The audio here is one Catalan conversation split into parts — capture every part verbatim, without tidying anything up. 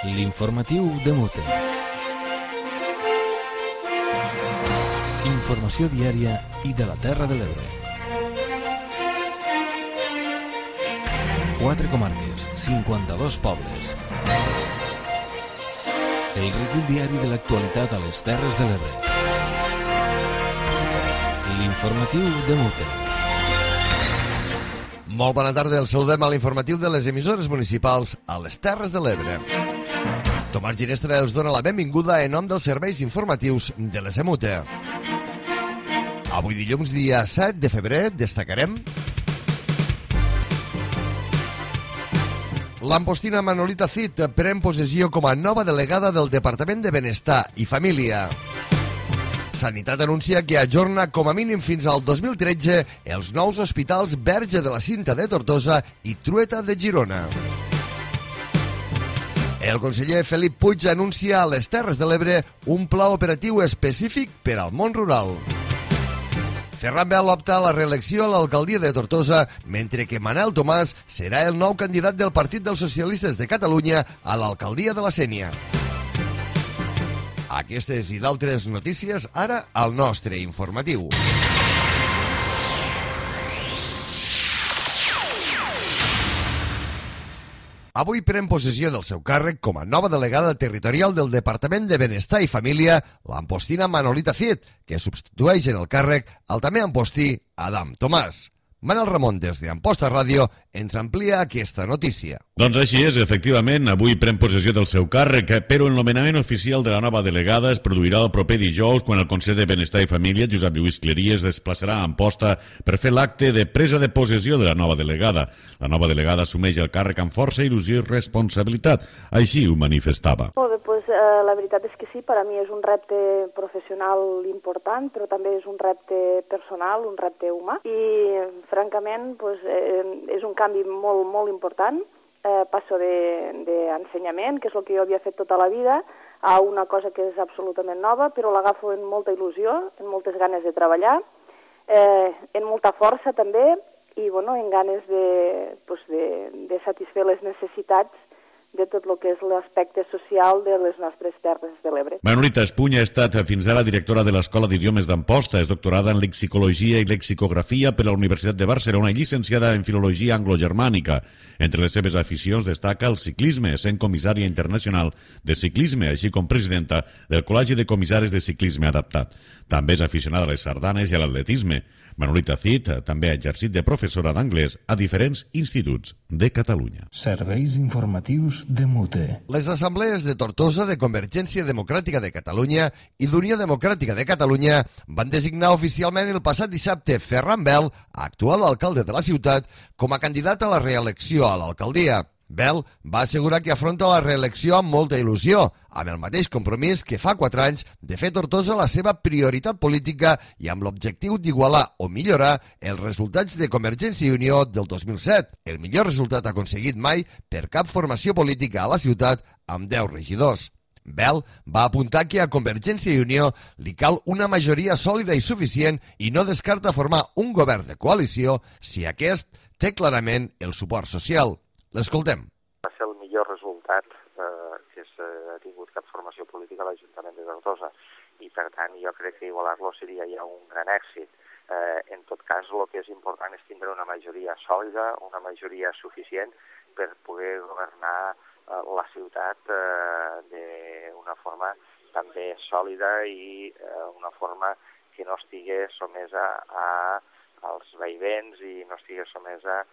L'informatiu de Mute. Informació diària i de la Terra de l'Ebre. Quatre comarques, cinquanta-dos pobles. El recull diari de l'actualitat a les Terres de l'Ebre. L'informatiu de Mute. Molt bona tarda, el saludem a l'informatiu de les emissores municipals a les Terres de l'Ebre. Tomàs Ginestra els dona la benvinguda en nom dels serveis informatius de les E M U T E. Avui dilluns, dia set de febrer, destacarem l'ampostina Manolita Cid pren possessió com a nova delegada del Departament de Benestar i Família. Sanitat anuncia que ajorna com a mínim fins al dos mil tretze els nous hospitals Verge de la Cinta de Tortosa i Trueta de Girona. El conseller Felip Puig anuncia a les Terres de l'Ebre un pla operatiu específic per al món rural. Ferran Bel opta a la reelecció a l'alcaldia de Tortosa, mentre que Manel Tomàs serà el nou candidat del Partit dels Socialistes de Catalunya a l'alcaldia de la Sénia. Aquestes i d'altres notícies ara al nostre informatiu. Avui pren possessió del seu càrrec com a nova delegada territorial del Departament de Benestar i Família l'ampostina Manolita Cid, que substitueix en el càrrec al també ampostí Adam Tomàs. Manel Ramon, des d'Amposta Ràdio, ens amplia aquesta notícia. Doncs així és, efectivament, avui pren possessió del seu càrrec, però el nomenament oficial de la nova delegada es produirà el proper dijous, quan el Consell de Benestar i Família, Josep Lluís Clery, es desplaçarà a Amposta per fer l'acte de presa de possessió de la nova delegada. La nova delegada assumeix el càrrec amb força, il·lusió i responsabilitat. Així ho manifestava. Molt bé, doncs, eh, la veritat és que sí, per a mi és un repte professional important, però també és un repte personal, un repte humà, i francament doncs, eh, és un canvi molt, molt important. Eh, passo d'ensenyament, que és el que jo havia fet tota la vida, a una cosa que és absolutament nova, però l'agafo amb molta il·lusió, amb moltes ganes de treballar, eh, amb molta força també, i bueno, amb ganes de, pues, de, de satisfer les necessitats de tot el que és l'aspecte social de les nostres Terres de l'Ebre. Manolita Espunya ha estat fins ara directora de l'Escola d'Idiomes d'Amposta, és doctorada en lexicologia i lexicografia per la Universitat de Barcelona i llicenciada en filologia anglogermànica. Entre les seves aficions destaca el ciclisme, sent comissària internacional de ciclisme, així com presidenta del Col·legi de Comissaris de Ciclisme Adaptat. També és aficionada a les sardanes i a l'atletisme. Manolita Cid també ha exercit de professora d'anglès a diferents instituts de Catalunya. Serveis informatius de Mute. Les assemblees de Tortosa, de Convergència Democràtica de Catalunya i d'Unió Democràtica de Catalunya van designar oficialment el passat dissabte Ferran Bel, actual alcalde de la ciutat, com a candidat a la reelecció a l'alcaldia. Bel va assegurar que afronta la reelecció amb molta il·lusió, amb el mateix compromís que fa quatre anys de fer Tortosa la seva prioritat política i amb l'objectiu d'igualar o millorar els resultats de Convergència i Unió del dos mil set, el millor resultat aconseguit mai per cap formació política a la ciutat amb deu regidors. Bel va apuntar que a Convergència i Unió li cal una majoria sòlida i suficient i no descarta formar un govern de coalició si aquest té clarament el suport social. L'escoltem. Va ser el millor resultat eh, que s'ha tingut cap formació política a l'Ajuntament de Tortosa i, per tant, jo crec que igualar-lo seria ja un gran èxit. Eh, en tot cas, el que és important és tindre una majoria sòlida, una majoria suficient per poder governar eh, la ciutat eh, d'una forma també sòlida i eh, una forma que no estigui somesa a, als vaivents i no estigui somesa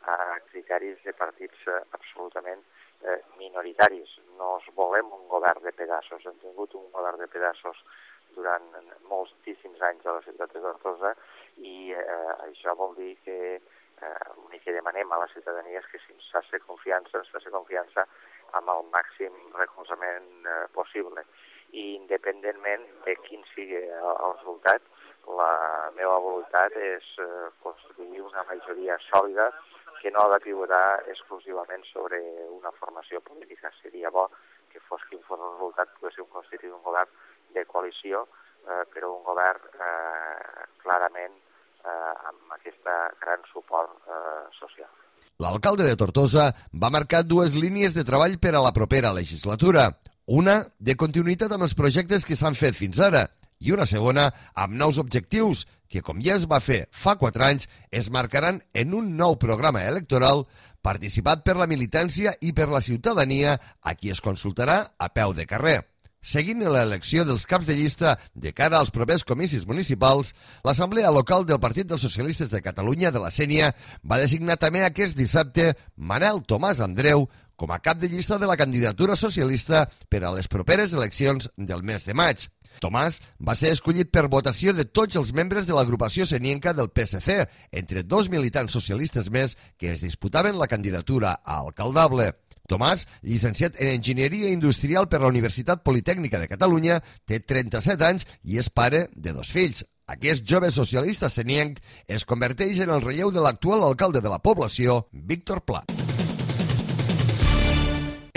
a criteris de partits eh, absolutament eh, minoritaris. No es volem un govern de pedaços. Hem tingut un govern de pedaços durant moltíssims anys a la ciutat de Tortosa i eh, això vol dir que eh, l'únic que demanem a la ciutadania és que si ens faci confiança, ens faci confiança amb el màxim recolzament eh, possible. I independentment de quin sigui el, el resultat, la meva voluntat és eh, construir una majoria sòlida que no ha de pivotar exclusivament sobre una formació política. Seria bo que fos quin fos el resultat, poguéssim constituir un govern de coalició, eh, però un govern eh, clarament eh, amb aquest gran suport eh, social. L'alcalde de Tortosa va marcar dues línies de treball per a la propera legislatura. Una, de continuïtat amb els projectes que s'han fet fins ara, i una segona, amb nous objectius, que, com ja es va fer fa quatre anys, es marcaran en un nou programa electoral participat per la militància i per la ciutadania, a qui es consultarà a peu de carrer. Seguint l'elecció dels caps de llista de cara als propers comicis municipals, l'Assemblea Local del Partit dels Socialistes de Catalunya de la Sénia va designar també aquest dissabte Manel Tomàs Andreu com a cap de llista de la candidatura socialista per a les properes eleccions del mes de maig. Tomàs va ser escollit per votació de tots els membres de l'agrupació senienca del P S C, entre dos militants socialistes més que es disputaven la candidatura a alcaldable. Tomàs, llicenciat en Enginyeria Industrial per la Universitat Politècnica de Catalunya, té trenta-set anys i és pare de dos fills. Aquest jove socialista senienc es converteix en el relleu de l'actual alcalde de la població, Víctor Pla.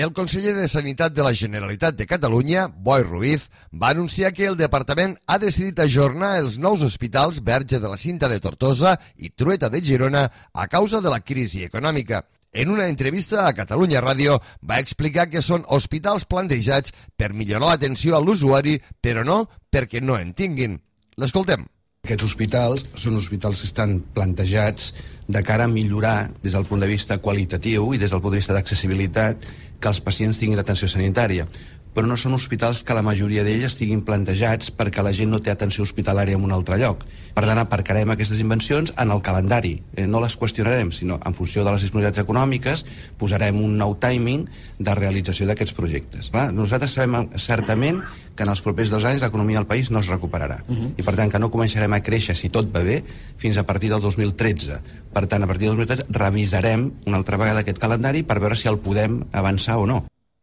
El conseller de Sanitat de la Generalitat de Catalunya, Boi Ruiz, va anunciar que el departament ha decidit ajornar els nous hospitals Verge de la Cinta de Tortosa i Trueta de Girona a causa de la crisi econòmica. En una entrevista a Catalunya Ràdio va explicar que són hospitals plantejats per millorar l'atenció a l'usuari, però no perquè no en tinguin. L'escoltem. Aquests hospitals són hospitals que estan plantejats de cara a millorar des del punt de vista qualitatiu i des del punt de vista d'accessibilitat que els pacients tinguin atenció sanitària. Però no són hospitals que la majoria d'ells estiguin plantejats perquè la gent no té atenció hospitalària en un altre lloc. Per tant, aparcarem aquestes invencions en el calendari. Eh, no les qüestionarem, sinó en funció de les disponibilitats econòmiques posarem un nou timing de realització d'aquests projectes. Clar, nosaltres sabem certament que en els propers dos anys l'economia del país no es recuperarà. Uh-huh. I per tant que no començarem a créixer, si tot va bé, fins a partir del dos mil tretze. Per tant, a partir del dos mil tretze revisarem una altra vegada aquest calendari per veure si el podem avançar o no.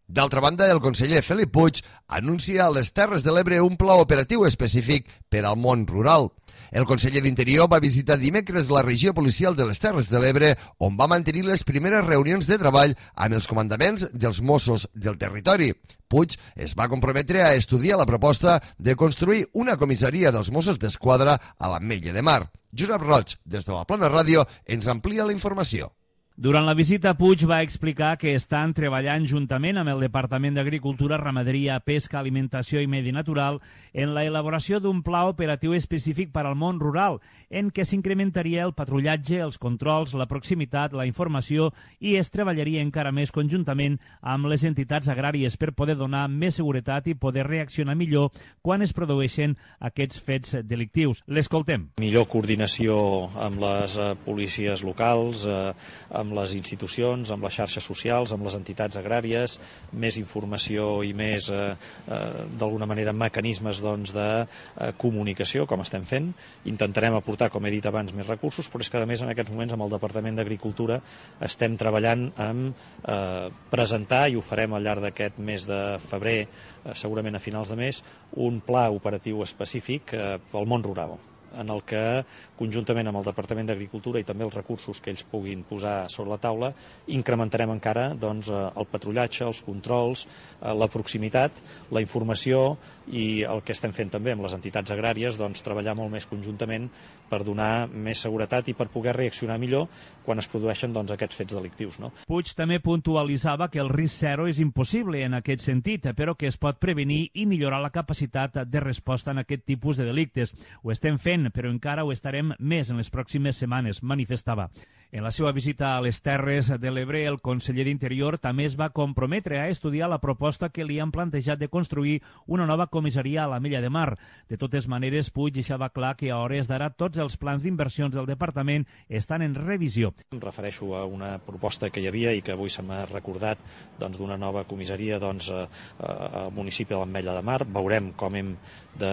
D'altra banda, el conseller Felip Puig anuncia a les Terres de l'Ebre un pla operatiu específic per al món rural. El conseller d'Interior va visitar dimecres la regió policial de les Terres de l'Ebre, on va mantenir les primeres reunions de treball amb els comandaments dels Mossos del territori. Puig es va comprometre a estudiar la proposta de construir una comissaria dels Mossos d'Esquadra a l'Ametlla de Mar. Josep Roig, des de la Plana Ràdio, ens amplia la informació. Durant la visita, Puig va explicar que estan treballant juntament amb el Departament d'Agricultura, Ramaderia, Pesca, Alimentació i Medi Natural en la elaboració d'un pla operatiu específic per al món rural, en què s'incrementaria el patrullatge, els controls, la proximitat, la informació i es treballaria encara més conjuntament amb les entitats agràries per poder donar més seguretat i poder reaccionar millor quan es produeixen aquests fets delictius. L'escoltem. Millor coordinació amb les eh, policies locals, eh, amb amb les institucions, amb les xarxes socials, amb les entitats agràries, més informació i més, eh, eh, d'alguna manera, mecanismes doncs, de eh, comunicació, com estem fent. Intentarem aportar, com he dit abans, més recursos, però és que, a més, en aquests moments, amb el Departament d'Agricultura estem treballant en eh, presentar, i ho farem al llarg d'aquest mes de febrer, eh, segurament a finals de mes, un pla operatiu específic eh, pel món rural, en el que, conjuntament amb el Departament d'Agricultura i també els recursos que ells puguin posar sobre la taula, incrementarem encara doncs, el patrullatge, els controls, la proximitat, la informació i el que estem fent també amb les entitats agràries, doncs, treballar molt més conjuntament per donar més seguretat i per poder reaccionar millor quan es produeixen doncs, aquests fets delictius. No? Puig també puntualitzava que el risc zero és impossible en aquest sentit, però que es pot prevenir i millorar la capacitat de resposta en aquest tipus de delictes. Ho estem fent, però encara ho estarem més en les pròximes setmanes, manifestava. En la seva visita a les Terres de l'Ebre, el conseller d'Interior també es va comprometre a estudiar la proposta que li han plantejat de construir una nova comissaria a l'Ametlla de Mar. De totes maneres, Puig deixava clar que a hores d'ara tots els plans d'inversions del departament estan en revisió. Em refereixo a una proposta que hi havia i que avui se m'ha recordat doncs, d'una nova comissaria doncs, al municipi de l'Ametlla de Mar. Veurem com hem de,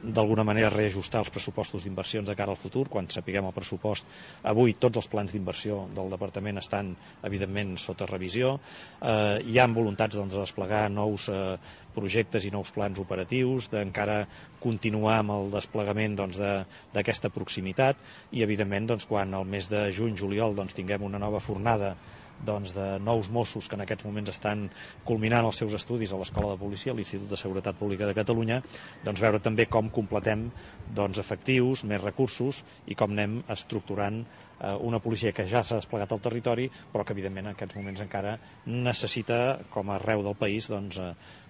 d'alguna manera, reajustar els pressupostos d'inversions de cara al futur. Quan sapiguem el pressupost, avui tots els plans d'inversió del departament estan, evidentment, sota revisió. Eh, hi ha voluntats doncs, de desplegar nous eh, projectes i nous plans operatius, d'encara continuar amb el desplegament doncs, d'aquesta de, proximitat i, evidentment, doncs, quan al mes de juny-juliol doncs, tinguem una nova fornada doncs, de nous Mossos que en aquests moments estan culminant els seus estudis a l'Escola de Policia, a l'Institut de Seguretat Pública de Catalunya, doncs veure també com completem doncs, efectius, més recursos i com anem estructurant una policia que ja s'ha desplegat al territori, però que evidentment en aquests moments encara necessita, com a arreu del país, doncs,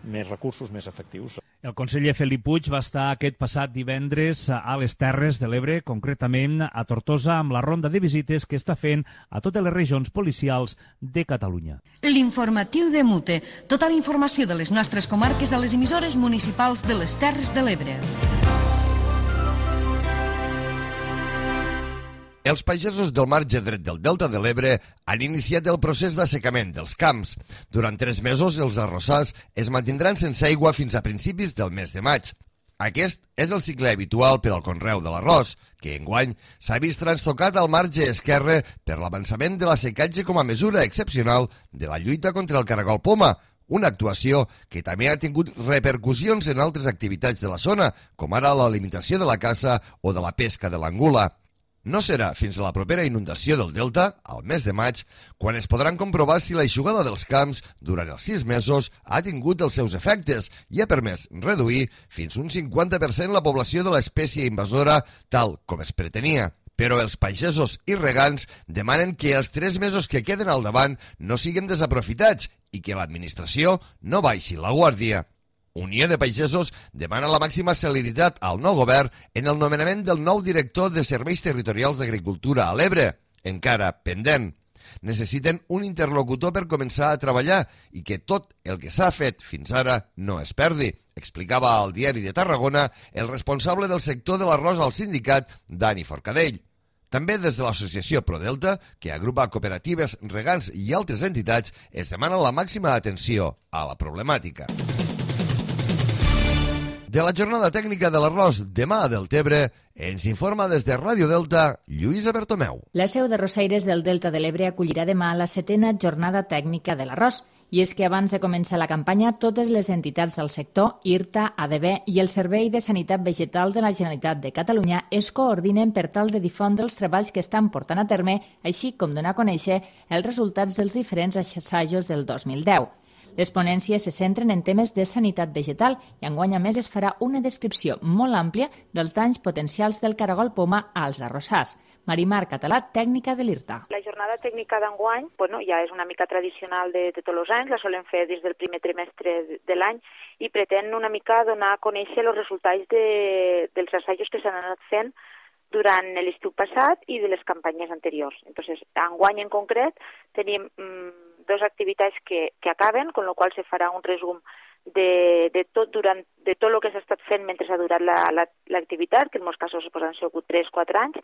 més recursos, més efectius. El conseller Felip Puig va estar aquest passat divendres a les Terres de l'Ebre, concretament a Tortosa, amb la ronda de visites que està fent a totes les regions policials de Catalunya. L'informatiu de Mute. Tota la informació de les nostres comarques a les emissores municipals de les Terres de l'Ebre. Els pagesos del marge dret del Delta de l'Ebre han iniciat el procés d'assecament dels camps. Durant tres mesos, els arrossars es mantindran sense aigua fins a principis del mes de maig. Aquest és el cicle habitual per al conreu de l'arròs, que enguany s'ha vist transtocat al marge esquerre per l'avançament de l'assecatge com a mesura excepcional de la lluita contra el caragol poma, una actuació que també ha tingut repercussions en altres activitats de la zona, com ara la limitació de la caça o de la pesca de l'angula. No serà fins a la propera inundació del Delta, al mes de maig, quan es podran comprovar si l'aixugada dels camps durant els sis mesos ha tingut els seus efectes i ha permès reduir fins un cinquanta per cent la població de l'espècie invasora, tal com es pretenia. Però els pagesos i regants demanen que els tres mesos que queden al davant no siguin desaprofitats i que l'administració no baixi la guàrdia. Unió de Pagesos demana la màxima celeritat al nou govern en el nomenament del nou director de Serveis Territorials d'Agricultura a l'Ebre, encara pendent. Necessiten un interlocutor per començar a treballar i que tot el que s'ha fet fins ara no es perdi, explicava al Diari de Tarragona el responsable del sector de l'arròs al sindicat, Dani Forcadell. També des de l'associació ProDelta, que agrupa cooperatives, regants i altres entitats, es demana la màxima atenció a la problemàtica. De la jornada tècnica de l'arròs demà a Deltebre, ens informa des de Ràdio Delta, Lluïsa Bertomeu. La seu de Rosaires del Delta de l'Ebre acollirà demà la setena jornada tècnica de l'arròs. I és que abans de començar la campanya, totes les entitats del sector, I R T A, A D B i el Servei de Sanitat Vegetal de la Generalitat de Catalunya es coordinen per tal de difondre els treballs que estan portant a terme, així com donar a conèixer els resultats dels diferents assajos del dos mil deu. Les ponències se centren en temes de sanitat vegetal i enguany a més es farà una descripció molt àmplia dels danys potencials del caragol poma als arrossars. Marimar Català, tècnica de l'I R T A. La jornada tècnica d'enguany bueno, ja és una mica tradicional de, de tots els anys, la solen fer des del primer trimestre de l'any i pretén una mica donar a conèixer els resultats de, dels assajos que s'han anat fent durant l'estiu passat i de les campanyes anteriors. Entonces, enguany en concret tenim mmm, dos activitats que, que acaben, con lo qual se farà un resum de, de, tot, durant, de tot el que s'ha estat fent mentre ha durat l'activitat, la, la, que en molts casos pues, han sigut tres o quatre anys,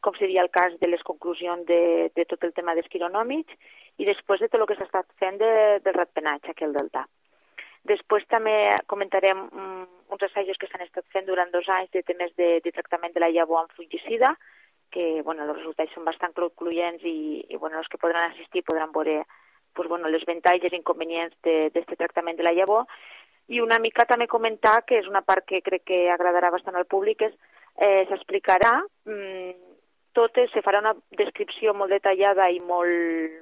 com seria el cas de les conclusions de, de tot el tema dels quironòmids i després de tot el que s'ha estat fent de, del ratpenatge aquí al Delta. Després també comentarem um, uns assajos que s'han estat fent durant dos anys de temes de, de tractament de la llavor amb fungicida, que bueno, els resultats són bastant concloents i, i bueno, els que podran assistir podran veure pues, bueno, les avantatges i inconvenients d'aquest tractament de la llavor. I una mica també comentar, que és una part que crec que agradarà bastant al públic, és eh, s'explicarà, mmm, tot, se farà una descripció molt detallada i molt,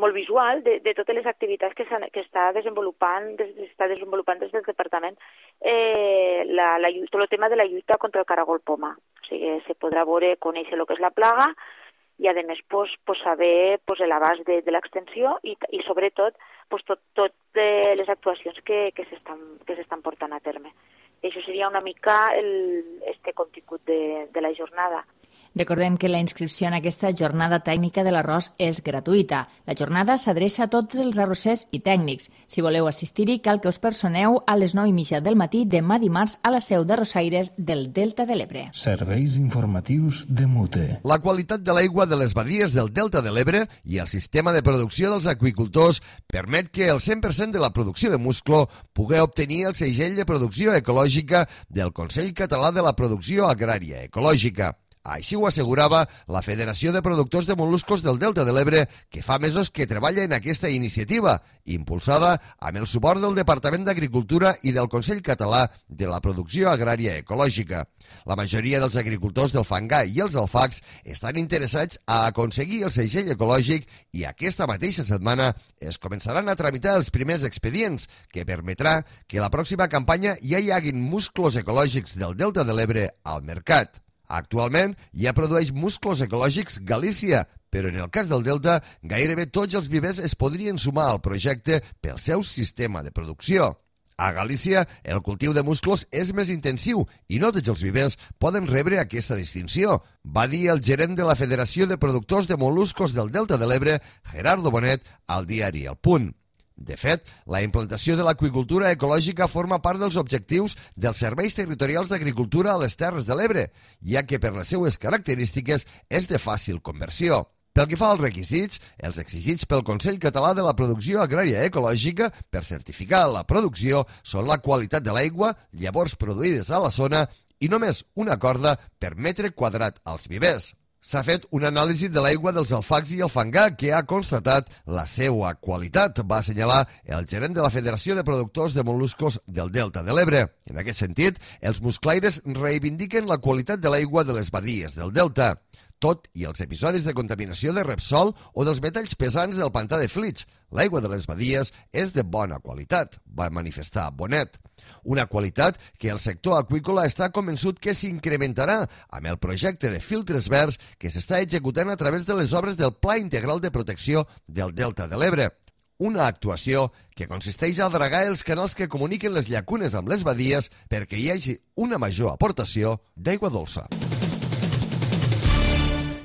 molt visual de, de totes les activitats que, que està desenvolupant, des, està desenvolupant des del departament eh, la, la, tot el tema de la lluita contra el caragol poma. O sigui, se podrà veure, conèixer el que és la plaga, i a més pues, pues, saber pues, l'abast de, de l'extensió i, i sobretot pues, tot, tot de les actuacions que, que s'estan portant a terme. I això seria una mica el, este contingut de, de la jornada. Recordem que la inscripció en aquesta jornada tècnica de l'arròs és gratuïta. La jornada s'adreça a tots els arrossers i tècnics. Si voleu assistir-hi, cal que us personeu a les nou i mitja del matí demà dimarts a la seu de Rosaires del Delta de l'Ebre. Serveis informatius de Mute. La qualitat de l'aigua de les badies del Delta de l'Ebre i el sistema de producció dels aqüicultors permet que el cent per cent de la producció de musclo pugui obtenir el segell de producció ecològica del Consell Català de la Producció Agrària Ecològica. Així ho assegurava la Federació de Productors de Mol·luscos del Delta de l'Ebre, que fa mesos que treballa en aquesta iniciativa, impulsada amb el suport del Departament d'Agricultura i del Consell Català de la Producció Agrària Ecològica. La majoria dels agricultors del fangar i els alfacs estan interessats a aconseguir el segell ecològic i aquesta mateixa setmana es començaran a tramitar els primers expedients, que permetrà que la pròxima campanya ja hi haguin musclos ecològics del Delta de l'Ebre al mercat. Actualment ja produeix musclos ecològics Galícia, però en el cas del Delta gairebé tots els vivers es podrien sumar al projecte pel seu sistema de producció. A Galícia, el cultiu de musclos és més intensiu i no tots els vivers poden rebre aquesta distinció, va dir el gerent de la Federació de Productors de Mol·luscos del Delta de l'Ebre, Gerardo Bonet, al diari El Punt. De fet, la implantació de l'aqüicultura ecològica forma part dels objectius dels serveis territorials d'agricultura a les Terres de l'Ebre, ja que per les seues característiques és de fàcil conversió. Pel que fa als requisits, els exigits pel Consell Català de la Producció Agrària Ecològica per certificar la producció són la qualitat de l'aigua, llavors produïdes a la zona i només una corda per metre quadrat als vivers. S'ha fet una anàlisi de l'aigua dels alfacs i el fangar que ha constatat la seva qualitat, va assenyalar el gerent de la Federació de Productors de Mol·luscos del Delta de l'Ebre. En aquest sentit, els musclaires reivindiquen la qualitat de l'aigua de les badies del Delta, tot i els episodis de contaminació de Repsol o dels metalls pesants del pantà de Flix. L'aigua de les badies és de bona qualitat, va manifestar Bonet. Una qualitat que el sector aqüícola està convençut que s'incrementarà amb el projecte de filtres verds que s'està executant a través de les obres del Pla Integral de Protecció del Delta de l'Ebre. Una actuació que consisteix a dragar els canals que comuniquen les llacunes amb les badies perquè hi hagi una major aportació d'aigua dolça.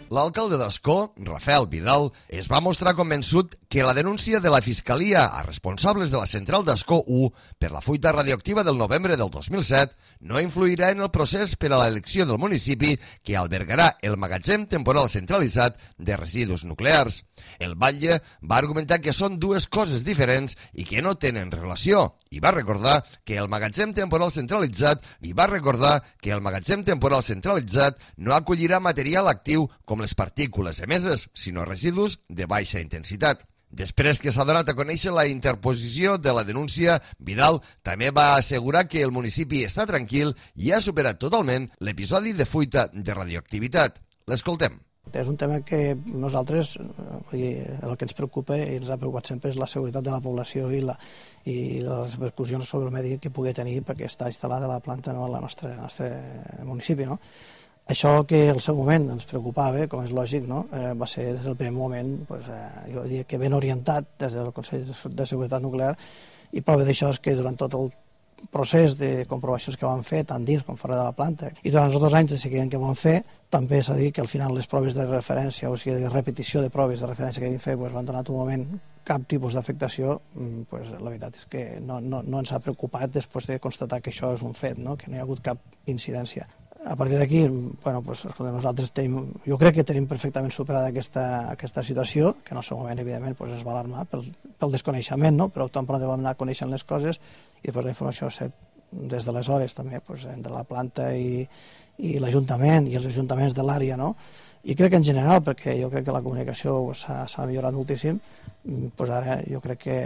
L'alcalde d'Ascó, Rafael Vidal, es va mostrar convençut que la denúncia de la Fiscalia a responsables de la central d'Ascó u per la fuita radioactiva del novembre del dos mil set no influirà en el procés per a l'elecció del municipi que albergarà el magatzem temporal centralitzat de residus nuclears. El batlle va argumentar que són dues coses diferents i que no tenen relació i va recordar que el magatzem temporal centralitzat i va recordar que el magatzem temporal centralitzat no acollirà material actiu com les partícules emeses, sinó residus de baixa intensitat. Després que s'ha donat a conèixer la interposició de la denúncia, Vidal també va assegurar que el municipi està tranquil i ha superat totalment l'episodi de fuita de radioactivitat. L'escoltem. És un tema que nosaltres, el que ens preocupa i ens ha preocupat sempre és la seguretat de la població i, la, i les repercussions sobre el medi que pugui tenir perquè està instal·lada la planta no, al nostre, nostre municipi. No? Això que al seu moment ens preocupava, com és lògic, no? eh, va ser des del primer moment, pues, eh, jo diria que ben orientat des del Consell de Seguretat Nuclear, i prova d'això és que durant tot el procés de comprovacions que vam fer, tant dins com fora de la planta, i durant els dos anys de seguiment que vam fer, també s'ha dit que al final les proves de referència, o sigui, de repetició de proves de referència que vam fer, pues, van donar un moment cap tipus d'afectació, pues, la veritat és que no, no, no ens ha preocupat després de constatar que això és un fet, no? Que no hi ha hagut cap incidència. A partir d'aquí, bueno, pues, escolta, nosaltres tenim, jo crec que tenim perfectament superada aquesta, aquesta situació, que en el seu moment, evidentment, pues, es va alarmar pel, pel desconeixement, no? Però tan pront vam anar coneixent les coses i després la informació set des d'aleshores també, pues, entre la planta i, i l'Ajuntament i els ajuntaments de l'àrea, no? I crec que en general, perquè jo crec que la comunicació s'ha pues, millorat moltíssim, pues ara jo crec que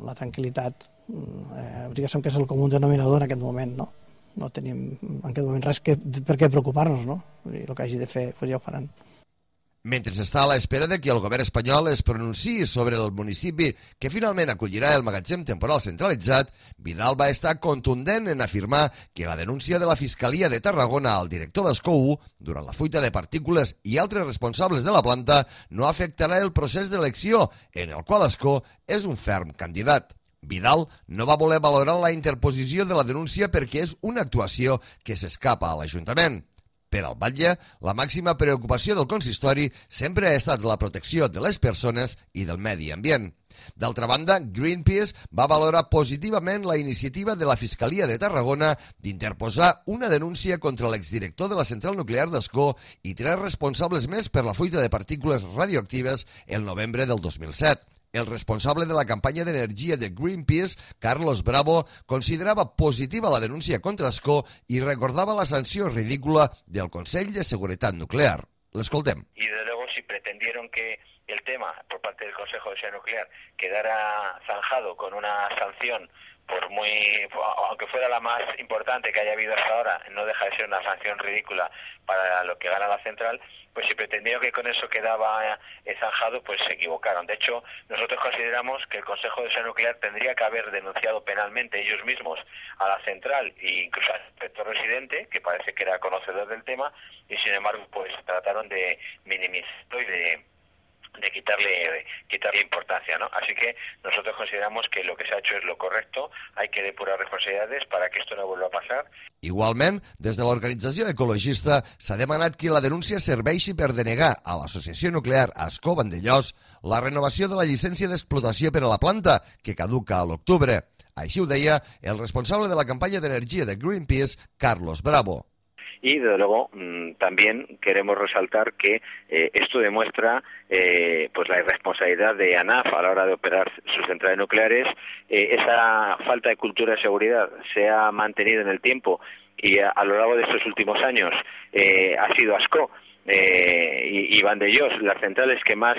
la tranquil·litat, eh, diguéssim que és el comú denominador en aquest moment, no? No tenim en aquest moment res que, per què preocupar-nos, no? I el que hagi de fer, pues ja ho faran. Mentre està a l'espera de que el govern espanyol es pronunciï sobre el municipi que finalment acollirà el magatzem temporal centralitzat, Vidal va estar contundent en afirmar que la denúncia de la Fiscalia de Tarragona al director d'Ascó u durant la fuita de partícules i altres responsables de la planta no afectarà el procés d'elecció, en el qual Ascó és un ferm candidat. Vidal no va voler valorar la interposició de la denúncia perquè és una actuació que s'escapa a l'Ajuntament. Per al batlle, la màxima preocupació del consistori sempre ha estat la protecció de les persones i del medi ambient. D'altra banda, Greenpeace va valorar positivament la iniciativa de la Fiscalia de Tarragona d'interposar una denúncia contra l'exdirector de la central nuclear d'Ascó i tres responsables més per la fuita de partícules radioactives el novembre del dos mil set. El responsable de la campanya d'energia de Greenpeace, Carlos Bravo, considerava positiva la denúncia contra Ascó i recordava la sanció ridícula del Consell de Seguretat Nuclear. L'escoltem. Y desde luego si pretendieron que el tema por parte del Consejo de Seguridad Nuclear quedara zanjado con una sanción, por muy, aunque fuera la más importante que haya habido hasta ahora, no deja de ser una sanción ridícula para lo que gana la central, pues si pretendieron que con eso quedaba eh, zanjado, pues se equivocaron. De hecho, nosotros consideramos que el Consejo de Seguridad Nuclear tendría que haber denunciado penalmente ellos mismos a la central e incluso al inspector residente, que parece que era conocedor del tema, y sin embargo, pues trataron de minimizarlo y de de quitarle quitarle importancia, ¿no? Así que nosotros consideramos que lo que se ha hecho es lo correcto, hay que depurar responsabilidades para que esto no vuelva a pasar. Igualment, des de l'organització ecologista s'ha demanat que la denúncia serveixi per denegar a l'Associació Nuclear Ascó Vandellòs la renovació de la llicència d'explotació per a la planta, que caduca a l'octubre. Així ho deia el responsable de la campanya d'energia de Greenpeace, Carlos Bravo. Y, desde luego, mmm, también queremos resaltar que eh, esto demuestra eh, pues la irresponsabilidad de ANAF a la hora de operar sus centrales nucleares. Eh, esa falta de cultura de seguridad se ha mantenido en el tiempo y a, a lo largo de estos últimos años eh, ha sido Ascó eh, y, y Vandellòs las centrales que más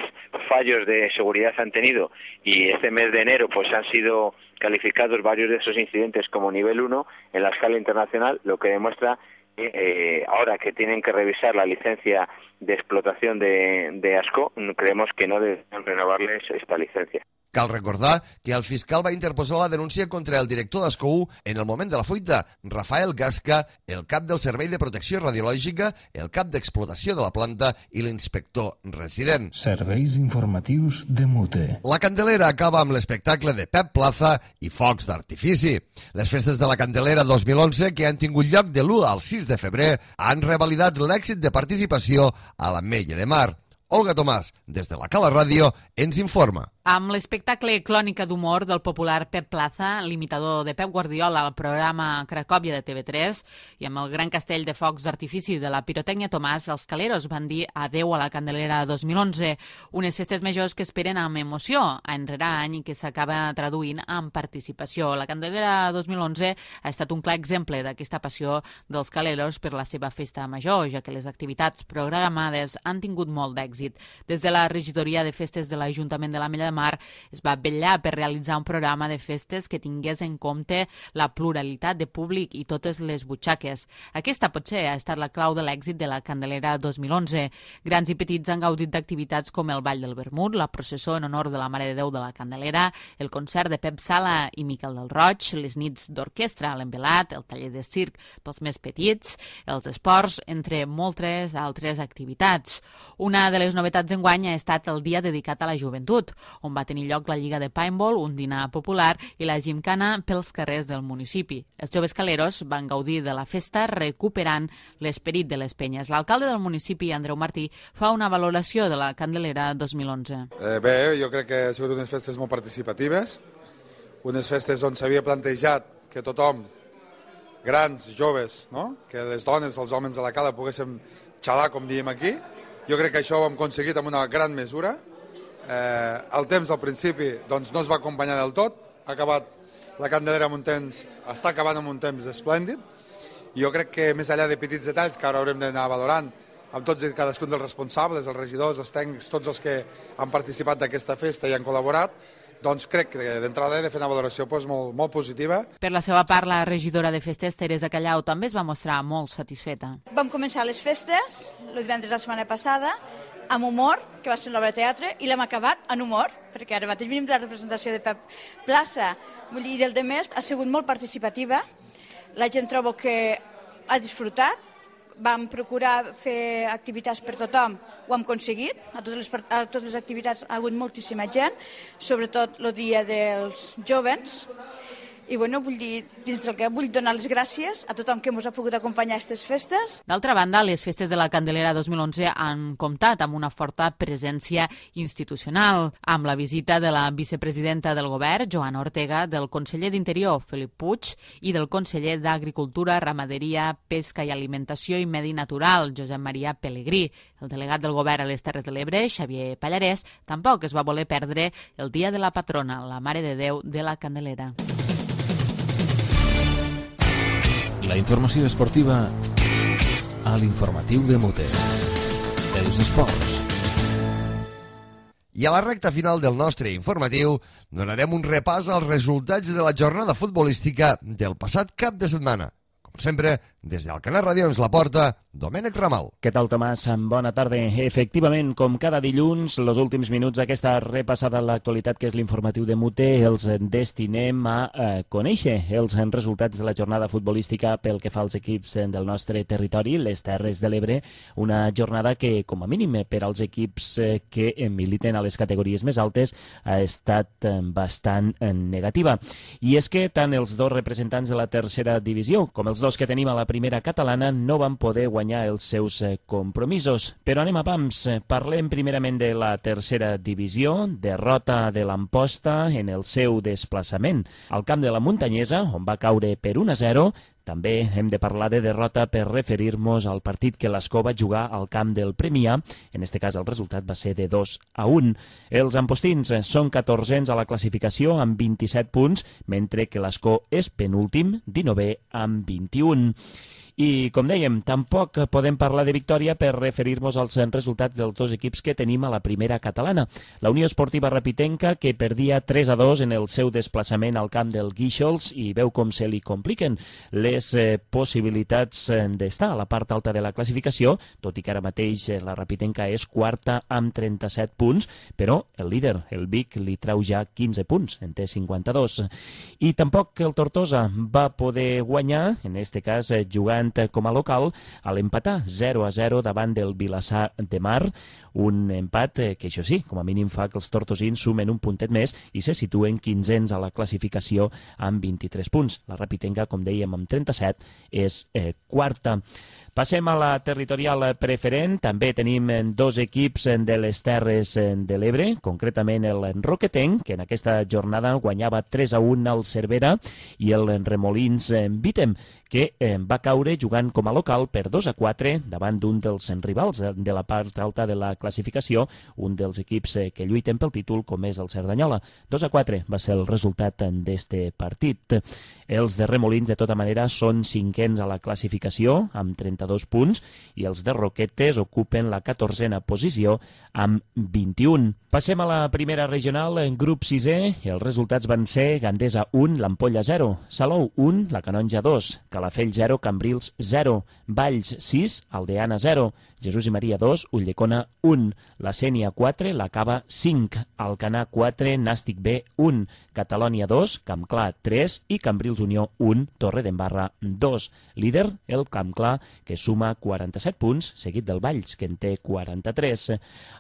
fallos de seguridad han tenido, y este mes de enero pues han sido calificados varios de esos incidentes como nivel uno en la escala internacional, lo que demuestra Eh, ahora que tienen que revisar la licencia de explotación de, de Ascó, creemos que no deben renovarles esta licencia. Cal recordar que el fiscal va interposar la denúncia contra el director d'Ascó en el moment de la fuita, Rafael Gasca, el cap del Servei de Protecció Radiològica, el cap d'explotació de la planta i l'inspector resident. Serveis informatius de Mute. La Candelera acaba amb l'espectacle de Pep Plaza i focs d'artifici. Les festes de la Candelera dos mil onze, que han tingut lloc de l'u al sis de febrer, han revalidat l'èxit de participació a l'Ametlla de Mar. Olga Tomàs, des de la Cala Ràdio, ens informa. Amb l'espectacle Clònica d'humor del popular Pep Plaza, l'imitador de Pep Guardiola al programa Cracòvia de T V tres, i amb el gran castell de focs d'artifici de la Pirotècnia Tomàs, els caleros van dir adeu a la Candelera dos mil onze, unes festes majors que esperen amb emoció, any rere any, i que s'acaba traduint en participació. La Candelera dos mil onze ha estat un clar exemple d'aquesta passió dels caleros per la seva festa major, ja que les activitats programades han tingut molt d'èxit. Des de la regidoria de festes de l'Ajuntament de l'Ametlla de Mar es va vetllar per realitzar un programa de festes que tingués en compte la pluralitat de públic i totes les butxaques. Aquesta potser ha estat la clau de l'èxit de la Candelera dos mil onze. Grans i petits han gaudit d'activitats com el Ball del Vermut, la processó en honor de la Mare de Déu de la Candelera, el concert de Pep Sala i Miquel del Roig, les nits d'orquestra a l'Envelat, el taller de circ pels més petits, els esports, entre moltes altres activitats. Una de les novetats d'enguany ha estat el dia dedicat a la joventut, on va tenir lloc la Lliga de Paintball, un dinar popular i la gimcana pels carrers del municipi. Els joves caleros van gaudir de la festa recuperant l'esperit de les penyes. L'alcalde del municipi, Andreu Martí, fa una valoració de la Candelera dos mil onze. Eh, bé, jo crec que han sigut unes festes molt participatives, unes festes on s'havia plantejat que tothom, grans, joves, no? Que les dones, els homes de la cala poguéssim xalar, com diem aquí. Jo crec que això ho hem aconseguit amb una gran mesura. Eh, el temps al principi doncs, no es va acompanyar del tot, ha acabat la Candelera amb un temps, està acabant amb un temps esplèndid, i jo crec que més enllà de petits detalls que ara haurem d'anar valorant amb tots i cadascun dels responsables, els regidors, els tècnics, tots els que han participat d'aquesta festa i han col·laborat, doncs crec que d'entrada he de fer una valoració doncs, molt, molt positiva. Per la seva part, la regidora de festes, Teresa Callau, també es va mostrar molt satisfeta. Vam començar les festes, el divendres de la setmana passada, amb humor, que va ser l'obra de teatre, i l'hem acabat en humor, perquè ara mateix venim de la representació de Pep Plaza. Vull dir, del de més, ha sigut molt participativa, la gent trobo que ha disfrutat, vam procurar fer activitats per tothom, ho hem aconseguit, a totes les, a totes les activitats ha hagut moltíssima gent, sobretot el dia dels jovens, i bueno, vull dir, dins del que vull donar les gràcies a tothom que ens ha pogut acompanyar a aquestes festes. D'altra banda, les festes de la Candelera dos mil onze han comptat amb una forta presència institucional, amb la visita de la vicepresidenta del govern, Joana Ortega, del conseller d'Interior, Felip Puig, i del conseller d'Agricultura, Ramaderia, Pesca i Alimentació i Medi Natural, Josep Maria Pelegrí. El delegat del govern a les Terres de l'Ebre, Xavier Pallarès, tampoc es va voler perdre el dia de la patrona, la Mare de Déu de la Candelera. La informació esportiva a l'informatiu de Mute. Els esports. I a la recta final del nostre informatiu donarem un repàs als resultats de la jornada futbolística del passat cap de setmana. Com sempre, des del Canal Ràdio ens la porta Domènec Ramal. Què tal, Tomàs? Bona tarda. Efectivament, com cada dilluns, els últims minuts d'aquesta repassada a l'actualitat, que és l'informatiu de Mute, els destinem a eh, conèixer els resultats de la jornada futbolística pel que fa als equips del nostre territori, les Terres de l'Ebre, una jornada que, com a mínim per als equips eh, que militen a les categories més altes, ha estat eh, bastant eh, negativa. I és que tant els dos representants de la tercera divisió com els dos que tenim a la primera catalana no van poder guanyar els seus compromisos. Però anem a pams. Parlem primerament de la tercera divisió, derrota de l'Amposta en el seu desplaçament al camp de la Muntanyesa, on va caure per un a zero. També hem de parlar de derrota per referir-nos al partit que l'Escó va jugar al camp del Premià. En aquest cas el resultat va ser de dos a un. Els ampostins són catorzens a la classificació amb vint-i-set punts, mentre que l'Escó és penúltim, dinovè amb vint-i-un. I, com dèiem, tampoc podem parlar de victòria per referir-nos als resultats dels dos equips que tenim a la primera catalana. La Unió Esportiva Rapitenca, que perdia tres a dos en el seu desplaçament al camp del Guíxols, i veu com se li compliquen les eh, possibilitats d'estar a la part alta de la classificació, tot i que ara mateix la Rapitenca és quarta amb trenta-set punts, però el líder, el Vic, li trau ja quinze punts, en té cinquanta-dos. I tampoc el Tortosa va poder guanyar, en aquest cas jugant com a local, a l'empatar zero a zero davant del Vilassar de Mar, un empat que, això sí, com a mínim fa que els tortosins sumen un puntet més i se situen quinzens a la classificació amb vint-i-tres punts. La Rapitenca, com dèiem, amb trenta-set, és eh, quarta. Passem a la territorial preferent. També tenim dos equips de les Terres de l'Ebre, concretament el Roquetenc, que en aquesta jornada guanyava tres a un al Cervera, i el Remolins Vitem, que va caure jugant com a local per dos a quatre davant d'un dels rivals de la part alta de la classificació, un dels equips que lluiten pel títol, com és el Cerdanyola. dos a quatre va ser el resultat d'este partit. Els de Remolins, de tota manera, són cinquens a la classificació, amb trenta-dos punts, i els de Roquetes ocupen la catorzena posició amb vint-i-un. Passem a la primera regional, en grup sisè. Els resultats van ser Gandesa un, l'Ampolla zero, Salou un, la Canonja dos, Calafell zero, Cambrils zero, Valls sis, Aldeana zero, Jesús i Maria dos, Ulldecona un, la Sénia quatre, la Cava cinc, Alcanar quatre, Nàstic B un, Catalònia dos, Campclar tres i Cambrils Unió un, Torredembarra dos. Líder, el Campclar, que suma quaranta-set punts, seguit del Valls, que en té quaranta-tres.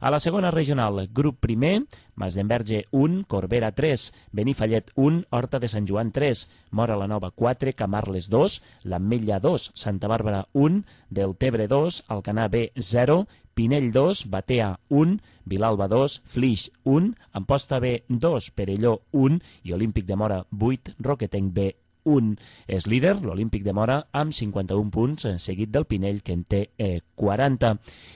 A la segona regional, grup primer, Masdenverge un, Corbera tres, Benifallet un, Horta de Sant Joan tres, Mora la Nova quatre, Camarles dos, l'Ametlla dos, Santa Bàrbara un, Deltebre dos, Alcanar B zero, Pinell dos, Batea un, Vilalba dos, Flix un, Amposta B dos, Perelló un i Olímpic de Mora vuit, Roquetenc B un. És líder l'Olímpic de Mora amb cinquanta-un punts, seguit del Pinell, que en té eh, quaranta.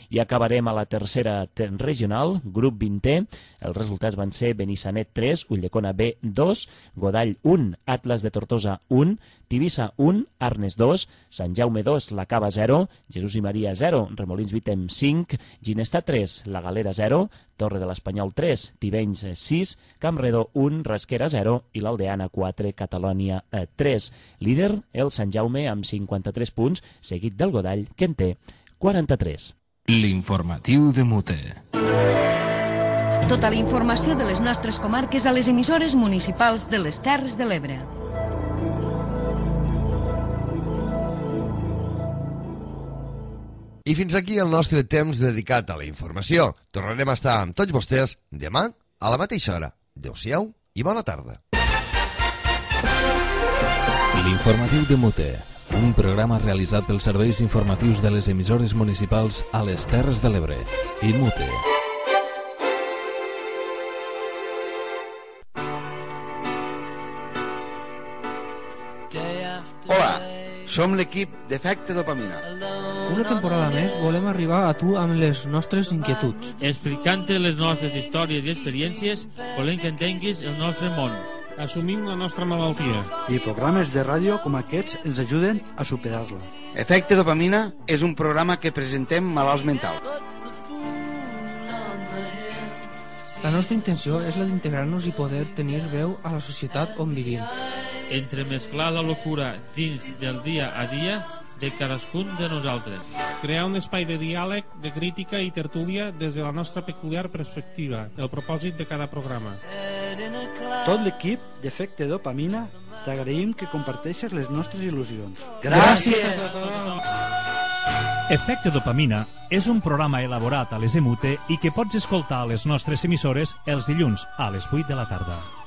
I acabarem a la tercera regional, grup vintè. Els resultats van ser Benissanet tres, Ulldecona B dos, Godall un, Atlas de Tortosa un, Tivissa un, Arnes dos, Sant Jaume dos, la Cava zero, Jesús i Maria zero, Remolins Vitem cinc, Ginestà tres, la Galera zero, Torre de l'Espanyol tres, Tivenys sis, Campredó un, Rasquera zero i l'Aldeana quatre, Catalònia tres. Líder, el Sant Jaume amb cinquanta-tres punts, seguit del Godall, que en té quaranta-tres. L'informatiu de Mute. Tota la informació de les nostres comarques a les emissores municipals de les Terres de l'Ebre. I fins aquí el nostre temps dedicat a la informació. Tornarem a estar amb tots vostès demà a la mateixa hora. Adéu-siau i bona tarda. L'informatiu de Mute, un programa realitzat pels serveis informatius de les emissores municipals a les Terres de l'Ebre i Mute. Hola, som l'equip d'Efecte Dopamina. Una temporada més volem arribar a tu amb les nostres inquietuds. Explicant-te les nostres històries i experiències, volem que entenguis el nostre món. Assumim la nostra malaltia. I programes de ràdio com aquests ens ajuden a superar-la. Efecte Dopamina és un programa que presentem malalts mentals. La nostra intenció és la d'integrar-nos i poder tenir veu a la societat on vivim. entremesclar la locura dins del dia a dia de cadascun de nosaltres. Crear un espai de diàleg, de crítica i tertúlia des de la nostra peculiar perspectiva, el propòsit de cada programa. Tot l'equip d'Efecte Dopamina t'agraïm que comparteixes les nostres il·lusions. Gràcies a tothom! Efecte Dopamina és un programa elaborat a les EMUTE i que pots escoltar a les nostres emissores els dilluns a les vuit de la tarda.